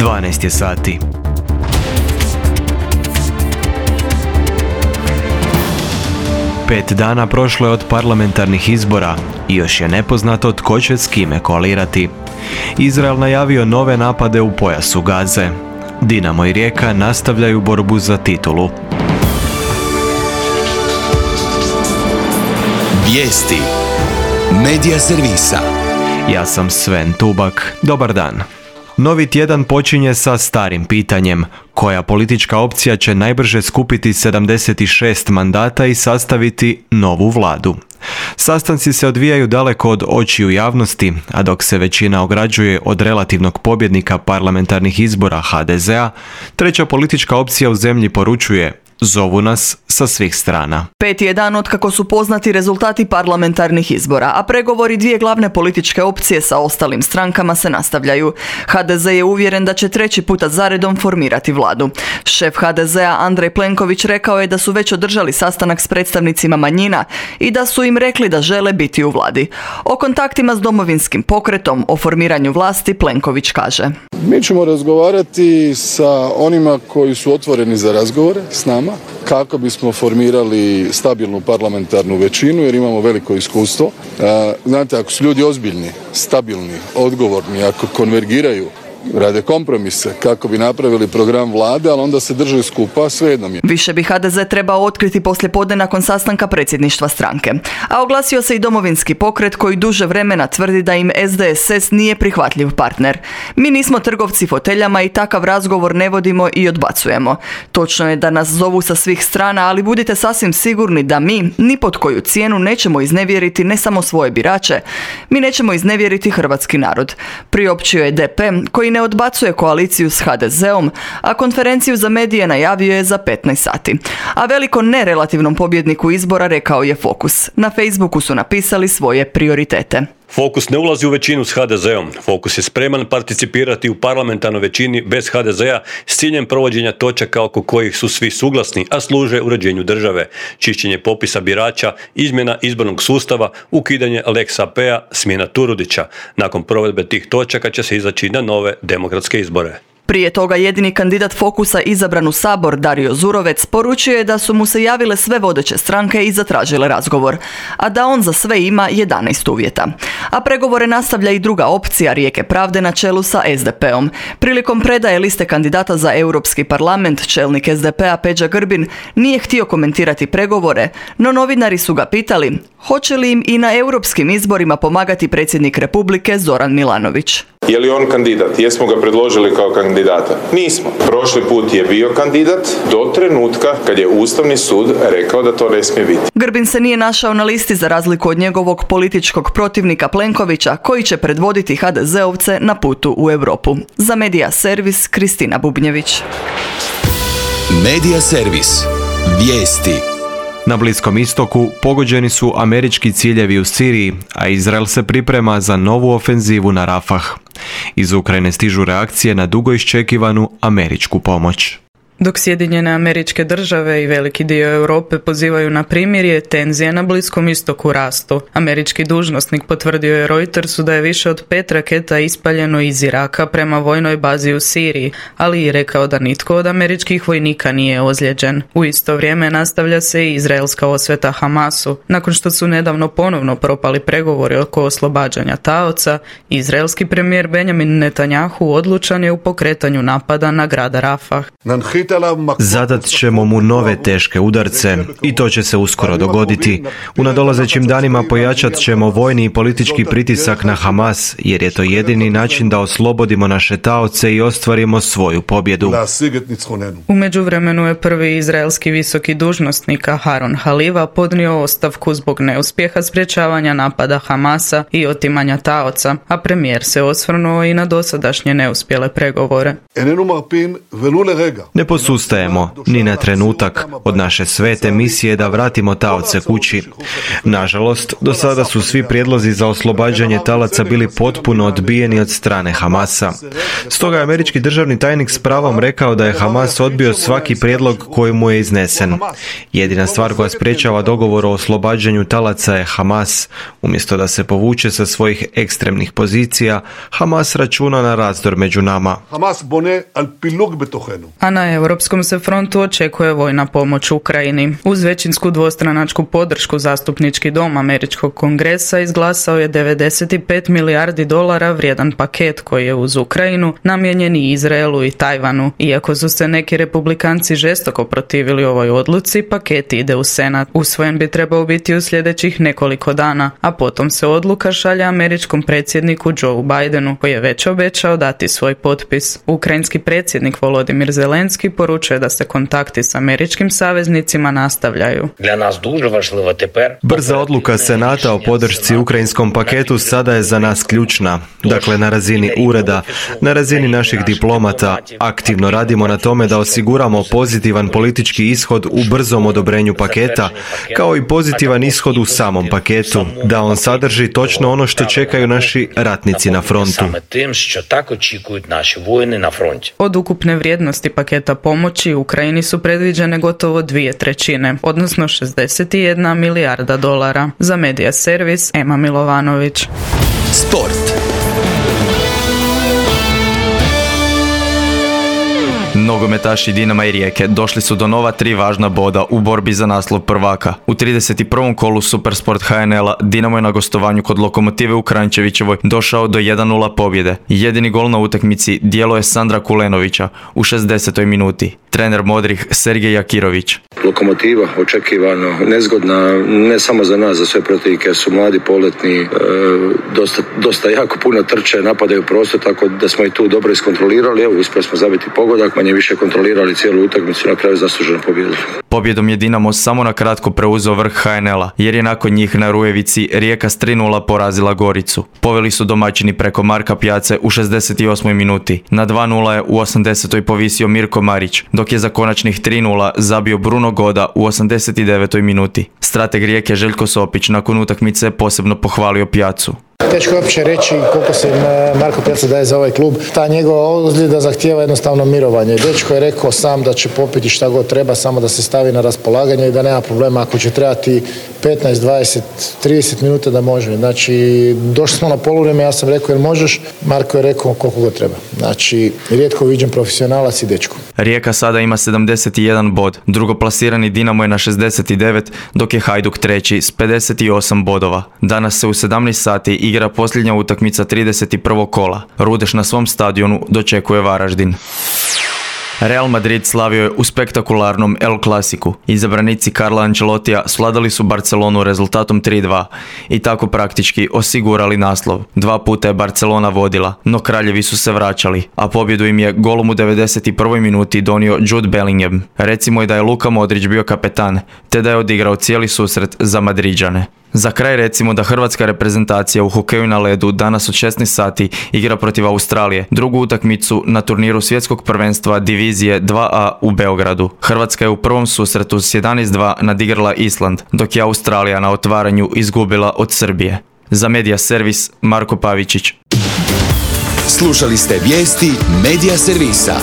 12 je sati. Pet dana prošlo je od parlamentarnih izbora i još je nepoznato tko će s kime koalirati. Izrael najavio nove napade u pojasu Gaze. Dinamo i Rijeka nastavljaju borbu za titulu. Vijesti Medija servisa. Ja sam Sven Tubak. Dobar dan. Novi tjedan počinje sa starim pitanjem. Koja politička opcija će najbrže skupiti 76 mandata i sastaviti novu vladu? Sastanci se odvijaju daleko od očiju javnosti, a dok se većina ograđuje od relativnog pobjednika parlamentarnih izbora HDZ-a, treća politička opcija u zemlji poručuje: zovu nas sa svih strana. Peti je dan otkako su poznati rezultati parlamentarnih izbora, a pregovori dvije glavne političke opcije sa ostalim strankama se nastavljaju. HDZ je uvjeren da će treći puta zaredom formirati vladu. Šef HDZ-a Andrej Plenković rekao je da su već održali sastanak s predstavnicima manjina i da su im rekli da žele biti u vladi. O kontaktima s Domovinskim pokretom, o formiranju vlasti Plenković kaže: mi ćemo razgovarati sa onima koji su otvoreni za razgovore s nama, kako bismo formirali stabilnu parlamentarnu većinu, jer imamo veliko iskustvo. Znate, ako su ljudi ozbiljni, stabilni, odgovorni, ako konvergiraju, rade kompromise kako bi napravili program vlade, ali onda se drže skupa, svejedno mi je. Više bi HDZ trebao otkriti poslijepodne nakon sastanka predsjedništva stranke. A oglasio se i Domovinski pokret koji duže vremena tvrdi da im SDSS nije prihvatljiv partner. Mi nismo trgovci foteljama i takav razgovor ne vodimo i odbacujemo. Točno je da nas zovu sa svih strana, ali budite sasvim sigurni da mi ni pod koju cijenu nećemo iznevjeriti ne samo svoje birače, mi nećemo iznevjeriti hrvatski narod. Priopćio je DP koji ne odbacuje koaliciju s HDZ-om, a konferenciju za medije najavio je za 15 sati. A veliko nerelativnom pobjedniku izbora rekao je Fokus. Na Facebooku su napisali svoje prioritete. Fokus ne ulazi u većinu s HDZ-om. Fokus je spreman participirati u parlamentarnoj većini bez HDZ-a s ciljem provođenja točaka oko kojih su svi suglasni, a služe uređenju države. Čišćenje popisa birača, izmjena izbornog sustava, ukidanje Lex AP-a, smjena Turudića. Nakon provedbe tih točaka će se izaći na nove demokratske izbore. Prije toga jedini kandidat Fokusa izabran u Sabor, Dario Zurovec, poručio je da su mu se javile sve vodeće stranke i zatražile razgovor, a da on za sve ima 11 uvjeta. A pregovore nastavlja i druga opcija, Rijeke pravde na čelu sa SDP-om. Prilikom predaje liste kandidata za Europski parlament, čelnik SDP-a Peđa Grbin nije htio komentirati pregovore, no novinari su ga pitali hoće li im i na europskim izborima pomagati predsjednik Republike Zoran Milanović. Je li on kandidat? Jesmo ga predložili kao kandidata? Nismo. Prošli put je bio kandidat do trenutka kad je Ustavni sud rekao da to ne smije biti. Grbin se nije našao na listi za razliku od njegovog političkog protivnika Plenkovića, koji će predvoditi HDZ-ovce na putu u Europu. Za Medija servis Kristina Bubnjević. Medija servis. Vijesti. Na Bliskom istoku pogođeni su američki ciljevi u Siriji, a Izrael se priprema za novu ofenzivu na Rafah. Iz Ukrajine stižu reakcije na dugo iščekivanu američku pomoć. Dok Sjedinjene Američke Države i veliki dio Europe pozivaju na primirje, tenzije na Bliskom istoku rastu. Američki dužnosnik potvrdio je Reutersu da je više od 5 raketa ispaljeno iz Iraka prema vojnoj bazi u Siriji, ali i rekao da nitko od američkih vojnika nije ozlijeđen. U isto vrijeme nastavlja se i izraelska osveta Hamasu. Nakon što su nedavno ponovno propali pregovori oko oslobađanja taoca, izraelski premijer Benjamin Netanjahu odlučan je u pokretanju napada na grad Rafah. Zadat ćemo mu nove teške udarce i to će se uskoro dogoditi. U nadolazećim danima pojačat ćemo vojni i politički pritisak na Hamas, jer je to jedini način da oslobodimo naše taoce i ostvarimo svoju pobjedu. U međuvremenu je prvi izraelski visoki dužnosnik Aharon Haliva podnio ostavku zbog neuspjeha sprječavanja napada Hamasa i otimanja taoca, a premijer se osvrnuo i na dosadašnje neuspjele pregovore. Ne posustajemo ni na trenutak od naše svete misije da vratimo taoce kući. Nažalost, do sada su svi prijedlozi za oslobađanje talaca bili potpuno odbijeni od strane Hamasa. Stoga je američki državni tajnik s pravom rekao da je Hamas odbio svaki prijedlog koji mu je iznesen. Jedina stvar koja sprječava dogovor o oslobađanju talaca je Hamas. Umjesto da se povuče sa svojih ekstremnih pozicija, Hamas računa na razdor među nama. A na europskom se frontu očekuje vojna pomoć Ukrajini. Uz većinsku dvostranačku podršku zastupnički dom američkog kongresa izglasao je 95 milijardi dolara vrijedan paket koji je uz Ukrajinu namijenjen i Izraelu i Tajvanu. Iako su se neki republikanci žestoko protivili ovoj odluci, paket ide u Senat. Usvojen bi trebao biti u sljedećih nekoliko dana, a potom se odluka šalje američkom predsjedniku Joe Bidenu, koji je već obećao dati svoj potpis. Ukrajinski predsjednik Volodimir Zelenski poručuje da se kontakti s američkim saveznicima nastavljaju. Brza odluka Senata o podršci ukrajinskom paketu sada je za nas ključna. Dakle, na razini ureda, na razini naših diplomata, aktivno radimo na tome da osiguramo pozitivan politički ishod u brzom odobrenju paketa, kao i pozitivan ishod u samom paketu, da on sadrži točno ono što čekaju naši ratnici na frontu. Od ukupne vrijednosti paketa pomoći Ukrajini su predviđene gotovo 2/3, odnosno 61 milijarda dolara. Za Medija servis Ema Milovanović. Sport. Nogometaši Dinama i Rijeke došli su do nova 3 važna boda u borbi za naslov prvaka. U 31. kolu Supersport HNL-a Dinamo je na gostovanju kod Lokomotive u Kranjčevićevoj došao do 1:0 pobjede. Jedini gol na utakmici djelo je Sandra Kulenovića u 60. minuti. Trener modrih Sergej Jakirović. Lokomotiva očekivano nezgodna, ne samo za nas, za sve protivnike, su mladi, poletni, dosta jako puno trče, napadaju prostor, tako da smo i tu dobro iskontrolirali. Evo, uspjeli smo zabiti pogodak, manje više kontrolirali cijelu utakmicu, na kraju zasluženo pobjedu. Pobjedom je Dinamo samo na kratko preuzeo vrh HNL-a, jer je nakon njih na Rujevici Rijeka s 3:0 porazila Goricu. Poveli su domaćini preko Marka Pjace u 68. minuti. Na 2:0 je u 80. povisio Mirko Marić, dok je za konačnih 3:0 zabio Bruno Goda u 89. minuti. Strateg Rijeke Željko Sopić nakon utakmice posebno pohvalio Pjacu. Teško je uopće reći koliko se Marko Pjaca daje za ovaj klub. Ta njegova ozljeda zahtijeva jednostavno mirovanje. Dečko je rekao sam da će popiti šta god treba, samo da se stavi na raspolaganje i da nema problema. Ako će trebati 15, 20, 30 minuta da može. Znači, došli smo na poluvrijeme, ja sam rekao jer možeš, Marko je rekao koliko god treba. Znači, rijetko viđen profesionalac i dečko. Rijeka sada ima 71 bod, drugoplasirani Dinamo je na 69, dok je Hajduk treći s 58 bodova. Danas se u 17 sati igra posljednja utakmica 31. kola. Rudeš na svom stadionu dočekuje Varaždin. Real Madrid slavio je u spektakularnom El Clasicu. Izabranici Carla Ancelotija svladali su Barcelonu rezultatom 3:2 i tako praktički osigurali naslov. 2 puta je Barcelona vodila, no kraljevi su se vraćali, a pobjedu im je golom u 91. minuti donio Jude Bellingham. Recimo je da je Luka Modrić bio kapetan, te da je odigrao cijeli susret za Madriđane. Za kraj recimo da hrvatska reprezentacija u hokeju na ledu danas od 16 sati igra protiv Australije, drugu utakmicu na turniru svjetskog prvenstva divizije 2A u Beogradu. Hrvatska je u prvom susretu s 11:2 nadigrala Island, dok je Australija na otvaranju izgubila od Srbije. Za Medija servis Marko Pavičić. Slušali ste vijesti Medija servisa.